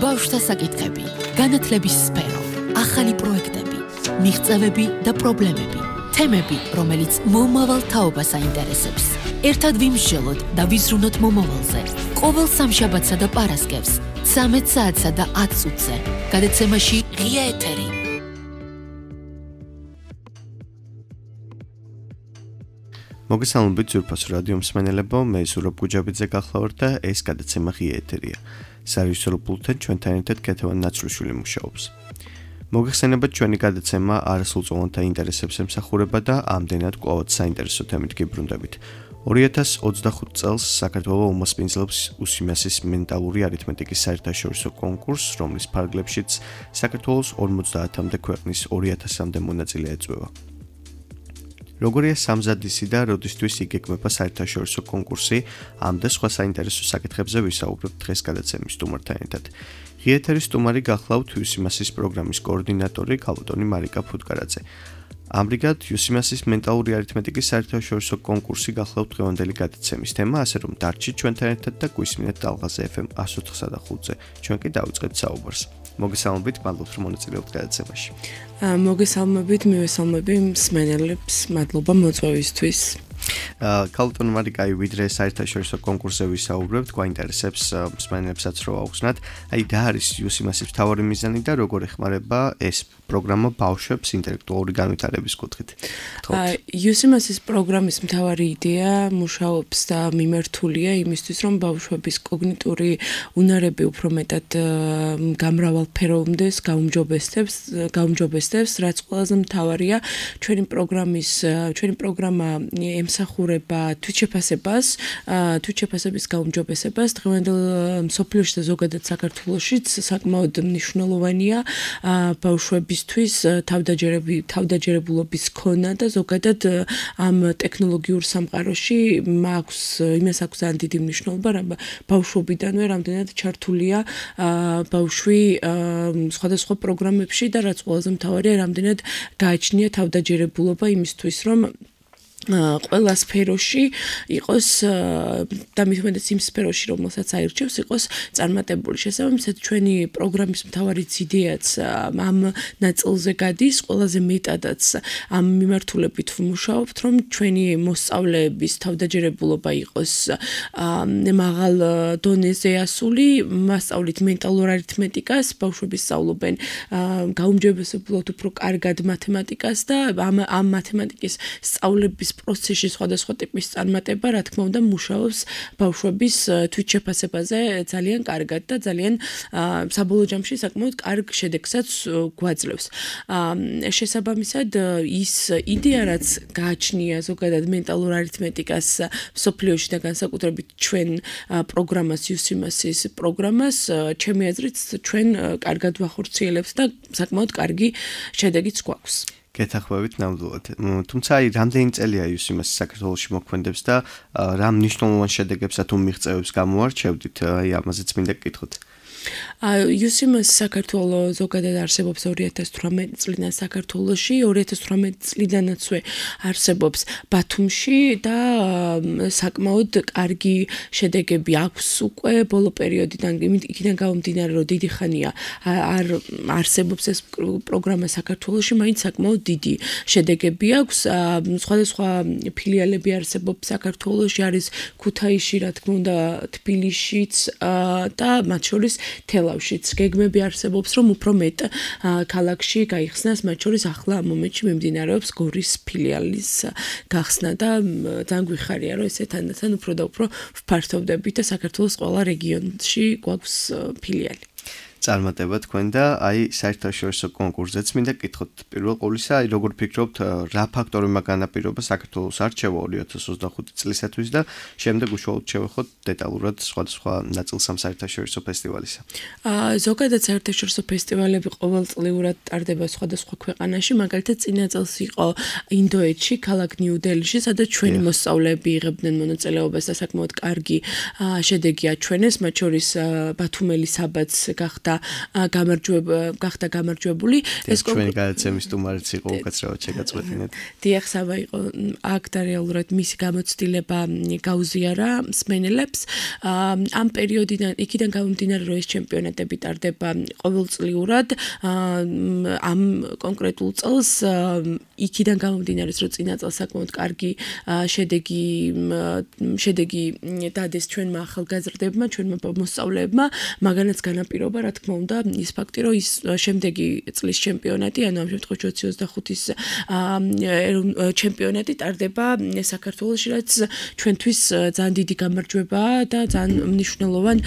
ბავშვთა საკითხები, განათლების სფერო, ახალი პროექტები, მიღწევები და პრობლემები, თემები, რომელიც მომავალ თაობას აინტერესებს. ერთად ვიმსჯელოთ და ვიზრუნოთ მომავალზე. ყოველ სამშაბათსა და პარასკევს, 13 საათსა და 10 წუთზე. გადაცემაში ღია ეთერი. მოგესალმებით ძვირფას რადიო მსმენელებო, მე ზურაბ გუჯაბიძე გახლავართ და ეს გადაცემა ღია ეთერია. სარეჟისორო პულტთან ჩვენთან ერთად ქეთევან ნაცრუშვილი მუშაობს. მოგეხსენებათ ჩვენი გადაცემა არასრულწლოვანთა ინტერესებს ემსახურება და ამდენად კვლავ საინტერესო თემით გიბრუნდებით. 2025 წელს საქართველოს უმასპინძლობს უსიმასის მენტალური არითმეტიკის საერთაშორისო კონკურსს, რომლის ფარგლებშიც საქართველოს 50-მდე ქვეყნის 2000-მდე მონაწილე ეწვევა. როგორია სამზადისი და როდისთვის იგეგმება საერთაშორისო კონკურსი, ამ და სხვა საინტერესო საკითხებზე ვისაუბრებთ დღეს გადაცემის სტუმართან ერთად. ღია ეთერის სტუმარი გახლავთ უსიმასის პროგრამის კოორდინატორი ქალბატონი მარიკა ფუტკარაძე. ამრიგად, უსიმასის მენტალური არითმეტიკის საერთაშორისო კონკურსი გახლავთ დღევანდელი გადაცემის თემა, ასე რომ დარჩით ჩვენთან ერთად და გვისმინეთ ტალღაზე FM 104.5-ზე. ჩვენ კი დავიწყებთ საუბარს. მოგესალმებით, მადლობთ რომ მონაწილეობთ გადაცემაში. მოგესალმებით, მივესალმები მსმენელებს, მადლობა მოწვევისთვის. ქალბატონი მარიკა, ვიდრე საერთაშორისო კონკურსზე ვისაუბრებთ, გვაინტერესებს მსმენელებსაც რო აუხსნათ, რა არის უსიმასის მთავარი მიზანი და როგორ ეხმარება ეს პროგრამა ბავშვებს ინტელექტუალური განვითარების კუთხით. უსიმასის პროგრამის მთავარი იდეა მუშაობს და მიმართულია იმისთვის, რომ ბავშვების კოგნიტური უნარები უფრო მეტად გამრავალფეროვნდეს, გაუმჯობესდეს, რაც ყველაზე მთავარია, ჩვენი პროგრამა ემსახურება თვითშეფასების გაუმჯობესებას. დღევანდელ მსოფლიოში და ზოგადად საქართველოშიც საკმაოდ მნიშვნელოვანია ბავშვებისთვის თავდაჯერებულობის ქონა და ზოგადად ამ ტექნოლოგიურ სამყაროში იმას აქვს ძალიან დიდი მნიშვნელობა, რომ ბავშვობიდანვე რამდენად ჩართულია ბავშვი სხვადასხვა პროგრამებში და რაც ყველაზე მთავარია, რამდენად გააჩნია თავდაჯერებულობა იმისთვის, რომ ყველა სფეროში იყოს და მithumedes იმ სფეროში, რომელსაც აირჩევს, იყოს წარმატებული. შესაბამისად, ჩვენი პროგრამის მთავარი იდეაც ამ ნაწილზე გადის, ყველაზე მეტადაც ამ მიმართულებით ვმუშაობთ, რომ ჩვენი მოსწავლეების თავდაჯერებულობა იყოს მაღალ დონეზე ასული, მასწავლით მენტალურ არითმეტიკას, ბავშვები სწავლობენ გაუმჯობესებულად უფრო კარგად მათემატიკას და ამ მათემატიკის სწავლების პროცესში სხვადასხვა ტიპის წარმატება, რა თქმა უნდა, მუშაობს ბავშვების თვითშეფასებაზე ძალიან კარგად და ძალიან საბოლოო ჯამში საკმაოდ კარგ შედეგსაც გვაძლევს. შესაბამისად, ის იდეა, რაც გააჩნია ზოგადად მენტალურ არითმეტიკას მსოფლიოში და განსაკუთრებით ჩვენ პროგრამას, უსიმასის პროგრამას, ჩემი აზრით, ჩვენ კარგად ვახორციელებთ და საკმაოდ კარგი შედეგიც გვაქვს. გეთახვევით ნამდვილად. თუმცა რამდენი წელია უსიმასი საქართველოში მოქმედებს და რა მნიშვნელოვან შედეგებსა თუ მიღწევებს გამოარჩევდით, ამაზეც მინდა გკითხოთ. უსიმას საქართველოს ზოგადად არსებობს 2018 წლიდან საქართველოში, 2018 წლიდანაცვე არსებობს ბათუმში და საკმაოდ კარგი შედეგები აქვს უკვე ბოლო პერიოდიდან, იქიდან გამომდინარე, რომ დიდი ხანია არ არსებობს ეს პროგრამა საქართველოში, მაინც საკმაოდ დიდი შედეგები აქვს. სხვადასხვა ფილიალები არსებობს საქართველოში, არის ქუთაისში, რა თქმა უნდა, თბილისშიც და მათ შორის თელავშიც. გეგმები არსებობს, რომ უფრო მეტ ქალაქში გაიხსნას, მათ შორის ახლა ამ მომენტში მიმდინარეობს გორის ფილიალის გახსნა და ძალიან გვიხარია, რომ ესე თანდათან უფრო და უფრო ვფართოვდებით და საქართველოს ყველა რეგიონში გვაქვს ფილიალი. წარმატება თქვენ და საერთაშორისო კონკურსზეც მინდა გკითხოთ. პირველ ყოვლისა, როგორ ფიქრობთ, რა ფაქტორებმა განაპირობა საქართველოს არჩევა 2025 წლისათვის და შემდეგ უშუალოდ შევეხოთ დეტალურად სხვადასხვა ნაწილს ამ საერთაშორისო ფესტივალისა. ზოგადად საერთაშორისო ფესტივალები ყოველწლიურად ტარდება სხვადასხვა ქვეყანაში, მაგალითად წინა წელს იყო ინდოეთში, ქალაქ ნიუ-დელიში, სადაც ჩვენი მოსწავლეები იღებდნენ მონაწილეობას და საკმაოდ კარგი შედეგი აჩვენეს, მათ შორის ბათუმელი საბადს გახდა გამარჯვებული. ეს ჩვენი გადაცემის სტუმარიც იყო უკაცრავად შეგაწყვეტინეთ. დიახ, სავა იყო აქ და რეალურად მისი გამოცდილება გაუზიარა მსმენელებს. ამ პერიოდიდან იქიდან გამომდინარე, რომ ეს ჩემპიონატები ტარდება ყოველწლიურად, ამ კონკრეტულ წელს იქიდან გამომდინარე, რომ წინა წელს საკმაოდ კარგი შედეგი დადეს ჩვენმა ახალგაზრდებმა, ჩვენმა მოსწავლეებმა, მაგანაც განაპირობა, რა თქმა უნდა, ის ფაქტი, რომ ის შემდეგი წლის ჩემპიონატი, ანუ ამ შემთხვევაში 2025-ის ჩემპიონატი ტარდება საქართველოში, რაც ჩვენთვის ძალიან დიდი გამარჯვებაა და ძალიან მნიშვნელოვან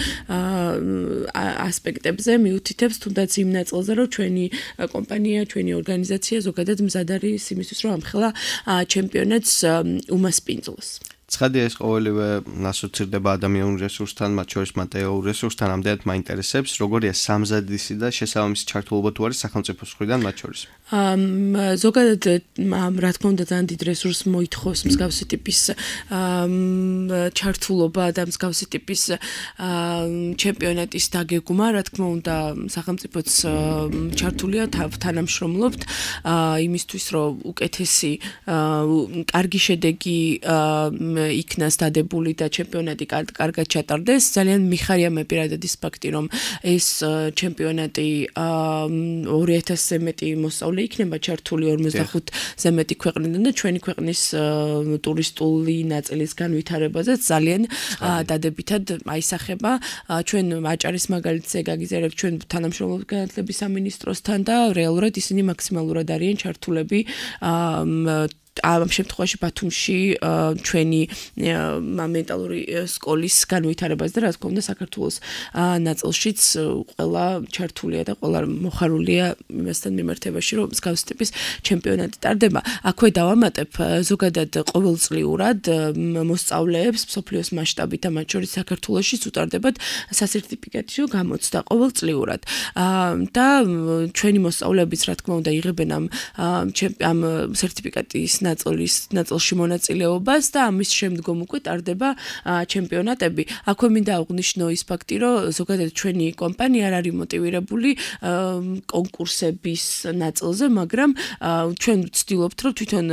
ასპექტებზე მიუთითებს, თუნდაც იმ ნაწილზე, რომ ჩვენი კომპანია, ჩვენი ორგანიზაცია ზოგადად მზად არის იმისთვის, რომ ამხელა ჩემპიონატს უმასპინძლოს. ცხადია, ეს ყოველივე ასოცირდება ადამიანურ რესურსთან, მათ შორის მატერიალურ რესურსთან, ამდენად მაინტერესებს, როგორია სამზადისი და შესაბამისი ჩართულობა თუ არის სახელმწიფოს მხრიდან მათ შორის. ზოგადად, რა თქმა უნდა, ძალიან დიდ რესურსს მოითხოვს მსგავსი ტიპის ჩართულობა და მსგავსი ტიპის ჩემპიონატის დაგეგმა, რა თქმა უნდა, სახელმწიფოც ჩართულია, თანამშრომლობთ იმისთვის, რომ უკეთესი, კარგი შედეგი იქნას დადებული და ჩემპიონატი კარგად ჩატარდეს. ძალიან მიხარია მე პირადად ის ფაქტი, რომ ეს ჩემპიონატი 2000-ზე მეტი მოსწავლე იქნება ჩართული 45-ზე მეტი ქვეყნიდან და ჩვენი ქვეყნის ტურისტული ნაწილის განვითარებაზე ძალიან დადებითად აისახება. ჩვენ აჭარის მაგალითზე გაგიზიარებთ ჩვენ თანამშრომლობთ განათლების სამინისტროსთან და რეალურად ისინი მაქსიმალურად არიან ჩართულები ამ შემთხვევაში ბათუმში ჩვენი მენტალური სკოლის განვითარებას და რა თქმა უნდა საქართველოს ნაწილშიც ყველა ჩართულია და ყველა მოხარულია იმასთან მიმართებაში, რომ მსგავსი ტიპის ჩემპიონატი ტარდება. აქვე დავამატებ ზოგადად ყოველწლიურად მოსწავლეებს მსოფლიოს მასშტაბით და მათ შორის საქართველოშიც უტარდებათ სასერტიფიკაციო გამოცდა ყოველწლიურად. და ჩვენი მოსწავლეებიც რა თქმა უნდა იღებენ ამ სერტიფიკატის ნაწილში მონაწილეობას და ამის შემდგომ უკვე ტარდება ჩემპიონატები. აქვე მინდა აღვნიშნო ის ფაქტი, რომ ზოგადად ჩვენი კომპანია არ არის მოტივირებული კონკურსების ნაწილზე, მაგრამ ჩვენ ვცდილობთ, რომ თვითონ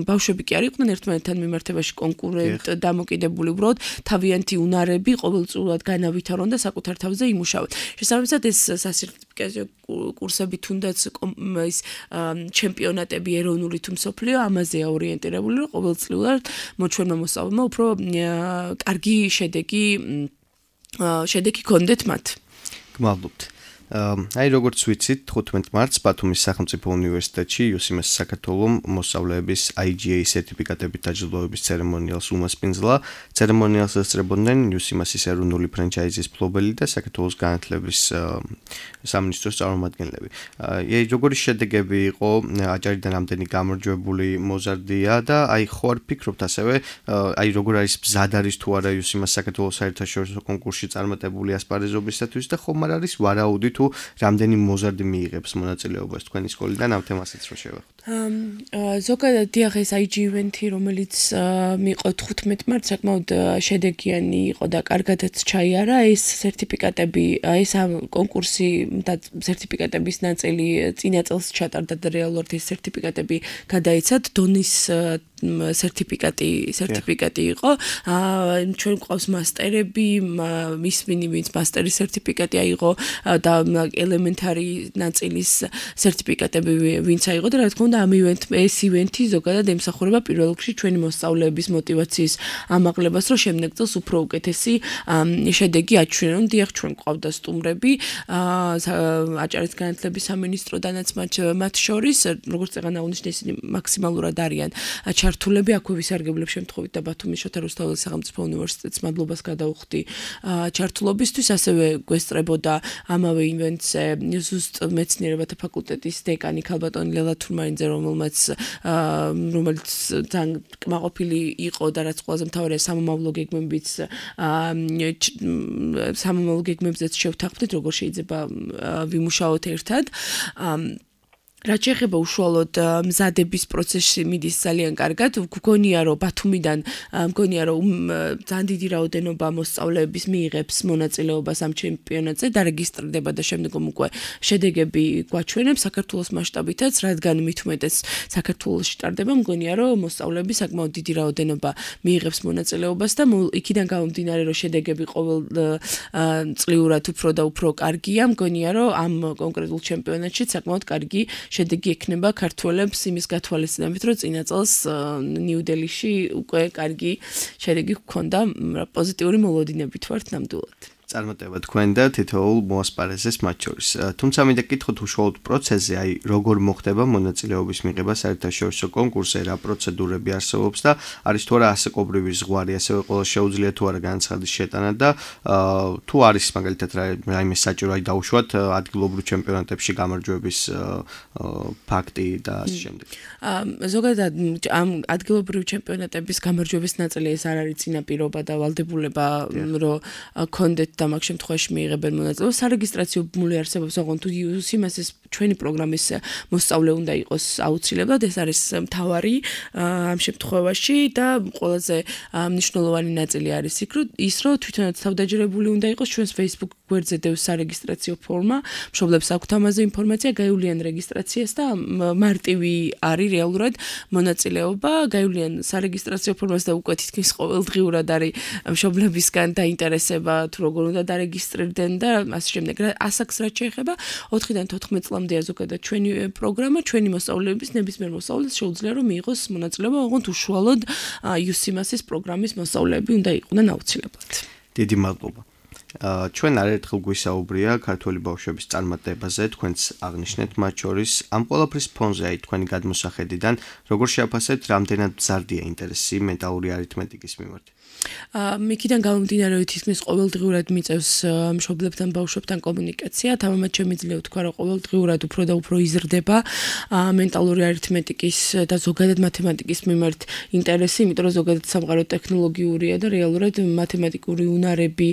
ბავშვები კი არ იყვნენ ერთმანეთთან მიმართებაში კონკურენტ დამოკიდებული, უბრალოდ თავიანთი უნარები ყოველწლიურად განავითარონ და საკუთარ თავზე იმუშავონ. შესაბამისად ეს სასერტიფიკაციო კურსები თუნდაც ის ჩემპიონატები ეროვნული თუ მსოფლიო ამაზე ორიენტირებული, რომ ყოველწლიურად ჩვენმა მოსწავლეებმა უფრო კარგი შედეგი გქონდეთ მათ. გმადლობთ. აი როგორც ვიცით, 15 მარტს ბათუმის სახელმწიფო უნივერსიტეტში UCMS საქართველომ მოსწავლეების IGA სერტიფიკატებით დაჯილდოების ცერემონიალს უმასპინძლა. ცერემონიალს ესწრებოდნენ UCMS-ის ეროვნული ფრანჩაიზის მფლობელი და საქართველოს განათლების სამინისტროს წარმომადგენლები. აი როგორი შედეგები იყო, აჭარიდან ამდენი გამარჯვებული მოზარდია და აი ხო არ ფიქრობთ ასევე, აი როგორ არის მზად არის თუ არა UCMS საქართველოს საერთაშორისო კონკურსში წარმატებული ასპარეზობისათვის და ხომ არ არის ვარაუდი თუ რამდენი მოზარდი მიიღებს მონაწილეობას თქვენი სკოლიდან ამ თემასაც რო შევეხოთ. ზოგადად დიახ, ეს IG ივენთი, რომელიც მიიღო 15 მარტს, საკმაოდ შედეგიანი იყო და კარგადაც ჩაიარა. ეს სერტიფიკატები, ეს კონკურსი და სერტიფიკატების ნაწილი წინა წელს ჩატარდა და რეალურად ეს სერტიფიკატები გადაიცათ დონის სერტიფიკატი იყო. ჩვენ გვყავს მასტერები, ვინც მასტერის სერტიფიკატი აიღო და ელემენტარი ნაწილის სერტიფიკატები ვინც აიღო და რა თქმა უნდა ეს ივენთი ზოგადად ემსახურება პირველ რიგში ჩვენი მოსწავლეების მოტივაციის ამაღლებას, რომ შემდეგ წელს უფრო უკეთესი შედეგი აჩვენონ. დიახ, ჩვენ გვყავდა სტუმრები აჭარის განათლების სამინისტროდანაც მათ შორის, როგორც წეგან აღნიშნე, ისინი მაქსიმალურად არიან ჩართულები. აქვე ვისარგებლებ შემთხვევით და ბათუმის შოთა რუსთაველის სახელმწიფო უნივერსიტეტს მადლობას გადავუხდი ჩართულობისთვის. ასევე გვესწრებოდა ამავე ივენტზე ზუსტ მეცნიერებათა ფაკულტეტის დეკანი ქალბატონი ლელა თურმანიძე, რომელიც ძალიან კმაყოფილი იყო და რაც ყველაზე მთავარია სამომავლო გეგმებზეც შევთანხმდით, როგორ შეიძლება ვიმუშაოთ ერთად. რაც შეეხება უშუალოდ მზადების პროცესში მიდის ძალიან კარგად. გგონია რომ ბათუმიდან მგონია რომ ძალიან დიდი რაოდენობა მოსწავლეების მიიღებს მონაწილეობას ამ ჩემპიონატზე, დარეგისტრირდება და შემდგომ უკვე შედეგები გვაჩვენებს საქართველოს მასშტაბითაც, რადგან მით უმეტეს საქართველოში ტარდება, მგონია რომ მოსწავლეები საკმაოდ დიდი რაოდენობა მიიღებს მონაწილეობას და იქიდან გამომდინარე რომ შედეგები ყოველ წლიურად უფრო და უფრო კარგია, მგონია რომ ამ კონკრეტულ ჩემპიონატში საკმაოდ კარგი შედეგი ექნება ქართველებს იმის გათვალისწინებით, რომ წინა წელს ნიუ-დელიში უკვე კარგი შედეგი ჰქონდა, პოზიტიური მოლოდინებით ვართ ნამდვილად. წარმატება თქვენ და თითოეულ მოასპარეზეს მათ შორის. თუმცა მინდა გითხოთ უშუალოდ პროცესზე, აი როგორ მოხდება მონაწილეობის მიღება საერთაშორისო კონკურსზე, რა პროცედურები არსებობს და არის თუ არა ასაკობრივი ზღვარი, ასევე ყველა შეუძლია თუ არა განაცხადის შეტანა და თუ არის მაგალითად რაიმე საჭირო აი დაუშვათ ადგილობრივ ჩემპიონატებში გამარჯვების ფაქტი და ასე შემდეგ. ზოგადად ამ ადგილობრივ ჩემპიონატების გამარჯვების ნაწილი ეს არ არის წინაპირობა და ვალდებულება, რომ კონდეთ და მაგ შემთხვევაში მიიღებენ მონაწილეობას. სარეგისტრაციო ბმული არსებობს, ოღონდ თუ იმას ეს ჩვენი პროგრამის მოსწავლე უნდა იყოს აუცილებლად, ეს არის მთავარი ამ შემთხვევაში და ყველაზე მნიშვნელოვანი ნაწილი არის ის, რომ თვითონაც თავდაჯერებული უნდა იყოს ჩვენს Facebook გვერდზე დევს სარეგისტრაციო ფორმა, მშობლებს აქვთ ამაზე ინფორმაცია, გაივლიან რეგისტრაციას და მარტივი არის რეალურად მონაწილეობა, გაივლიან სარეგისტრაციო ფორმას და უკვე თითქმის ყოველდღიურად არის მშობლებისგან დაინტერესება თუ როგორ უნდა დარეგისტრირდნენ და ასე შემდეგ. ასაკს რაც შეეხება 4-დან 14 წლამდეა ზოგადად ჩვენი პროგრამა, ჩვენი მოსწავლეების ნებისმიერ მოსწავლეს შეუძლია რომ მიიღოს მონაწილეობა, ოღონდ უშუალოდ UCMAS-ის პროგრამის მოსწავლეები უნდა იყვნენ აუცილებლად. დიდი მადლობა. ჩვენ არაერთხელ გვისაუბრია ქართველი ბავშვების წარმატებაზე, თქვენც აღნიშნეთ მათ შორის ამ ყველაფრის ფონზე, აი თქვენი გადმოსახედიდან, როგორ შეაფასებთ, რამდენად მზარდია ინტერესი მენტალური არითმეტიკის მიმართ? მიქიდან გამომდინარე, რომ თითქმის ყოველდღიურად მიწევს მშობლებთან, ბავშვებთან კომუნიკაცია, თამამად შემიძლია ვთქვა, რომ ყოველდღიურად უფრო და უფრო იზრდება მენტალური არითმეტიკის და ზოგადად მათემატიკის მიმართ ინტერესი, იმიტომ რომ ზოგადად სამყარო ტექნოლოგიურია და რეალურად მათემატიკური უნარები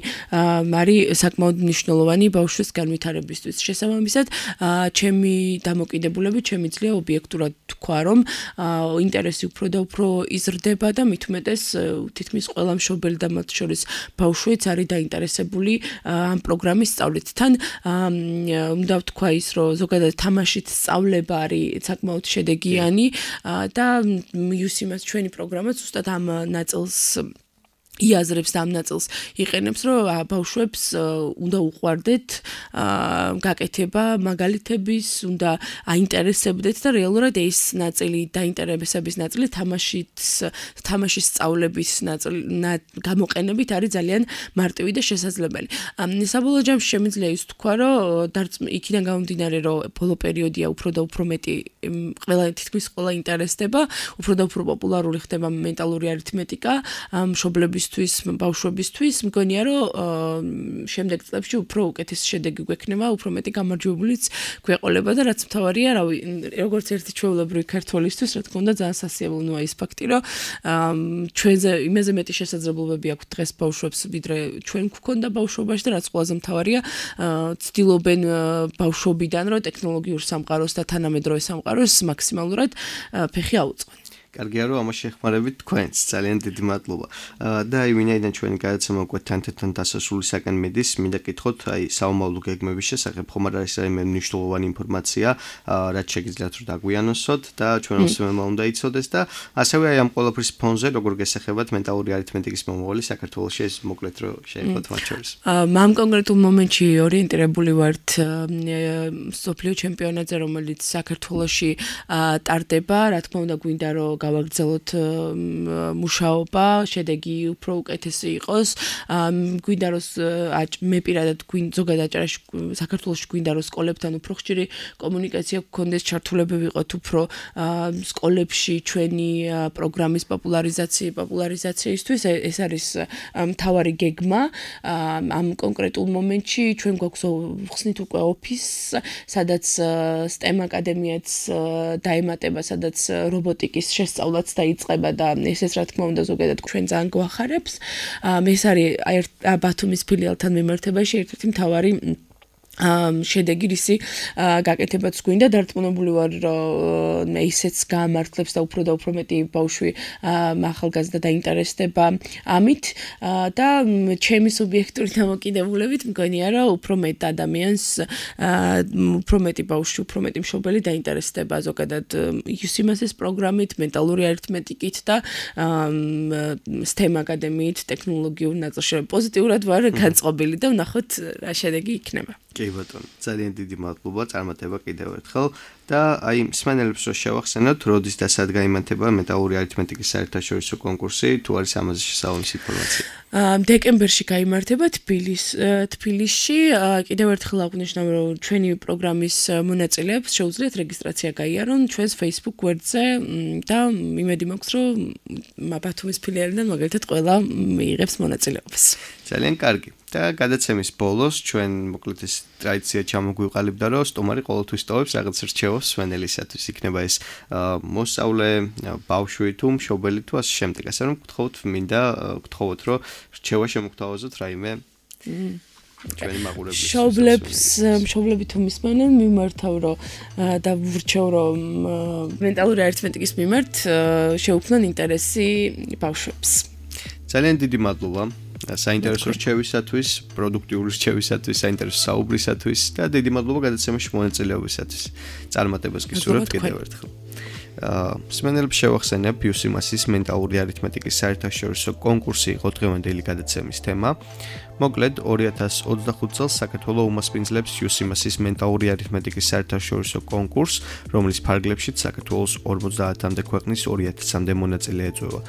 არის საკმაოდ მნიშვნელოვანი ბავშვის განვითარებისთვის. შესაბამისად, ჩემი დამოკიდებულებით შემიძლია ობიექტურად თქვა, რომ ინტერესი უფრო და უფრო იზრდება და მით უმეტეს თითქმის ყველა მშობელი და მათ შორის ბავშვიც არის დაინტერესებული ამ პროგრამის სწავლით. თან უნდა ვთქვა ის, რომ ზოგადად თამაშით სწავლება არის საკმაოდ შედეგიანი და UCMAS ჩვენი პროგრამა ზუსტად ამ ნაწილს იაზრებს და ამ ნაწილს იყენებს, რომ ბავშვებს უნდა უყვარდეთ გაკეთება მაგალითების, უნდა აინტერესებდეთ და რეალურად ეს ნაწილი დაინტერესების ნაწილი თამაშის სწავლების გამოყენებით არის ძალიან მარტივი და შესაძლებელი. საბოლოო ჯამში შემიძლია ის თქვა, რომ იქიდან გამომდინარე, რომ ბოლო პერიოდია უფრო და უფრო მეტი თითქმის ყველა ინტერესდება, უფრო და უფრო პოპულარული ხდება მენტალური არითმეტიკა მშობლების ბავშვებისთვის, მგონია რომ შემდეგ წლებში უფრო უკეთესი შედეგი გვექნება, უფრო მეტი გამარჯვებულიც გვეყოლება და რაც მთავარია, როგორც ერთი ჩვეულებრივი ქართველისთვის, რა თქმა უნდა, ძალიან სასიამოვნოა ის ფაქტი, რომ ჩვენზე იმაზე მეტი შესაძლებლობები აქვს დღეს ბავშვებს, ვიდრე ჩვენ გვქონდა ბავშვობაში და რაც ყველაზე მთავარია, ცდილობენ ბავშვობიდან, რომ ტექნოლოგიურ სამყაროს და თანამედროვე სამყაროს მაქსიმალურად ფეხი აუწყონ. კარგია რომ ამას შეხმარებით თქვენს, ძალიან დიდი მადლობა. და აი ვინაიდან ჩვენი გადაცემა უკვე თანდათან დასასრულისაკენ მიდის, მინდა გითხოთ, აი საომავლო გეგმების შესახებ ხომ არ არის რაიმე მნიშვნელოვანი ინფორმაცია, რაც შეგიძლიათ რომ დაგვიანოსოთ და ჩვენ უსმენმა უნდა იცოდეს და ასევე აი ამ ყველაფრის ფონზე როგორ გესახებათ მენტალური არითმეტიკის მომავალი საქართველოში, ეს მოკლედ რომ შეეხოთ მათ შორის. ამ კონკრეტულ მომენტში ორიენტირებული ვართ მსოფლიო ჩემპიონატზე, რომელიც საქართველოში ტარდება, რა თქმა უნდა გვინდა რომ გავაგრძელოთ მუშაობა, შედეგი უფრო უკეთესი იყოს. გვინდა რომ მე პირადად ზოგადად აჭარაში საქართველოში გვინდა რომ სკოლებთან უფრო ხშირი კომუნიკაცია გქონდეს, ჩართულებები ვიყოთ უფრო სკოლებში ჩვენი პროგრამის პოპულარიზაციისთვის. ეს არის მთავარი გეგმა. ამ კონკრეტულ მომენტში ჩვენ გვაქვს ხსნით უკვე ოფისს, სადაც STEM აკადემიაც დაემატება, სადაც რობოტიკის შესწავლაც დაიწყება და ესეც რა თქმა უნდა ზოგადად ჩვენ ძალიან გვახარებს. ეს არის ბათუმის ფილიალთან მიმართებაში ერთ-ერთი მთავარი შედეგი რისი გაკეთებაც გვინდა დარწმუნებული ვარ რომ ისეც გამართლებს და უფრო მეტი ბავშვი ახალგაზრდა დაინტერესდება ამით და ჩემი სუბიექტური დამოკიდებულებით მგონია რომ უფრო მეტ ადამიანს უფრო მეტი ბავშვი უფრო მეტი მშობელი დაინტერესდება ზოგადად UCMS-ის პროგრამით მენტალური არითმეტიკით და STEM აკადემიით ტექნოლოგიურ ნაწილში პოზიტიურად ვარ განწყობილი და ვნახოთ რა შედეგი იქნება კი ბატონო, ძალიან დიდი მადლობა, წარმატება კიდევ ერთხელ და აი მსმენელებს რო შევახსენოთ, როდის და სად გაიმართება მენტალური არითმეტიკის საერთაშორისო კონკურსი, თუ არის ამაზე შესაბამისი ინფორმაცია. დეკემბერში გაიმართება თბილისში, კიდევ ერთხელ აღნიშნავ, რომ ჩვენი პროგრამის მონაწილეებს შეუძლიათ რეგისტრაცია გაიარონ ჩვენს Facebook გვერდზე და იმედი მაქვს, რომ ბათუმის ფილიალიდან მაგალითად ყველა მიიღებს მონაწილეობას. ძალიან კარგი. და გადაცემის ბოლოს ჩვენ მოკლედ ეს ტრადიცია ჩამოგვიყალიბდა, რომ სტუმარი ყოველთვის ტოვებს რაღაც რჩევას მსმენელისათვის. იქნება ეს მოსწავლე, ბავშვი თუ მშობელი თუ ასე შემდეგ. ასე რომ გთხოვოთ, რომ რჩევა შემოგთავაზოთ რაიმე ჩვენი მაყურებლის. მშობლები თუ მისმენენ, მიმართავ რომ და ვრჩევ რომ მენტალური არითმეტიკის მიმართ შეუქმნან ინტერესი ბავშვებს. ძალიან დიდი მადლობა. საინტერესო რჩევისათვის, პროდუქტიული რჩევისათვის, საინტერესო საუბრისათვის და დიდი მადლობა გადაცემაში მონაწილეობისათვის. წარმატებას გისურვებთ კიდევ ერთხელ. მსმენელებს შევახსენებ UCMS-ის მენტალური არითმეტიკის საერთაშორისო კონკურსი იყო დღევანდელი გადაცემის თემა. მოკლედ 2025 წელს საქართველოს უმასპინძლებს UCMS-ის მენტალური არითმეტიკის საერთაშორისო კონკურსს, რომლის ფარგლებშიც საქართველოს 50-მდე ქვეყნის 2000-მდე მონაწილე ეწევა.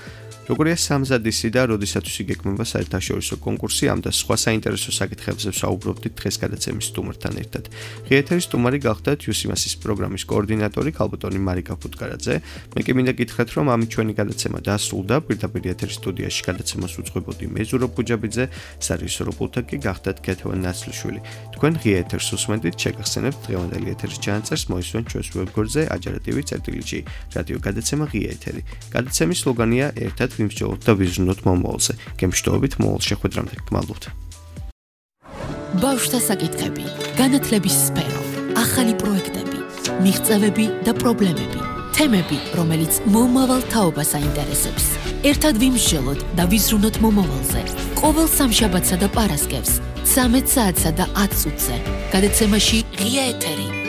როგორია სამზადისი და როდისათვის იგეგმება საერთაშორისო კონკურსი, ამ და სხვა საინტერესო საკითხებზე ვსაუბრობდით დღეს გადაცემის სტუმართან ერთად. ღიერთერის სტუმარი გახდათ UCMS-ის პროგრამის კოორდინატორი ქალბატონი მარიკა ფუტკარაძე. მე კი მინდა გითხრათ, რომ ამით ჩვენი გადაცემა დასრულდა. პირდაპირ ეთერის სტუდიაში გადაცემას უძღვებოდი მე ზურაბ გუჯაბიძე, სარეჟისორო პულტად კი გახდათ ქეთევან ნაცლიშვილი. თქვენ ღიერთერს უსმენთ, შეგახსენებთ დღევანდელი ეთერის ჩანაწერს, მოისმენთ ჩვენს ვებგვერდზე ajarativi.gi. რადიო გადაცემა ღიერთერი. გადაცემის სლოგანია ერთად ვიმსჯელოთ და ვიზრუნოთ მომავალზე. გემშვიდობით მომავალ შეხვედრამდე. გმადლობთ. ბავშვთა საკითხები, განათლების სფერო, ახალი პროექტები, მიღწევები და პრობლემები, თემები, რომელიც მომავალ თაობას აინტერესებს. ერთად ვიმსჯელოთ და ვიზრუნოთ მომავალზე. ყოველ სამშაბათსა და პარასკევს 13 საათსა და 10 წუთზე. გადაცემაში ღია ეთერი.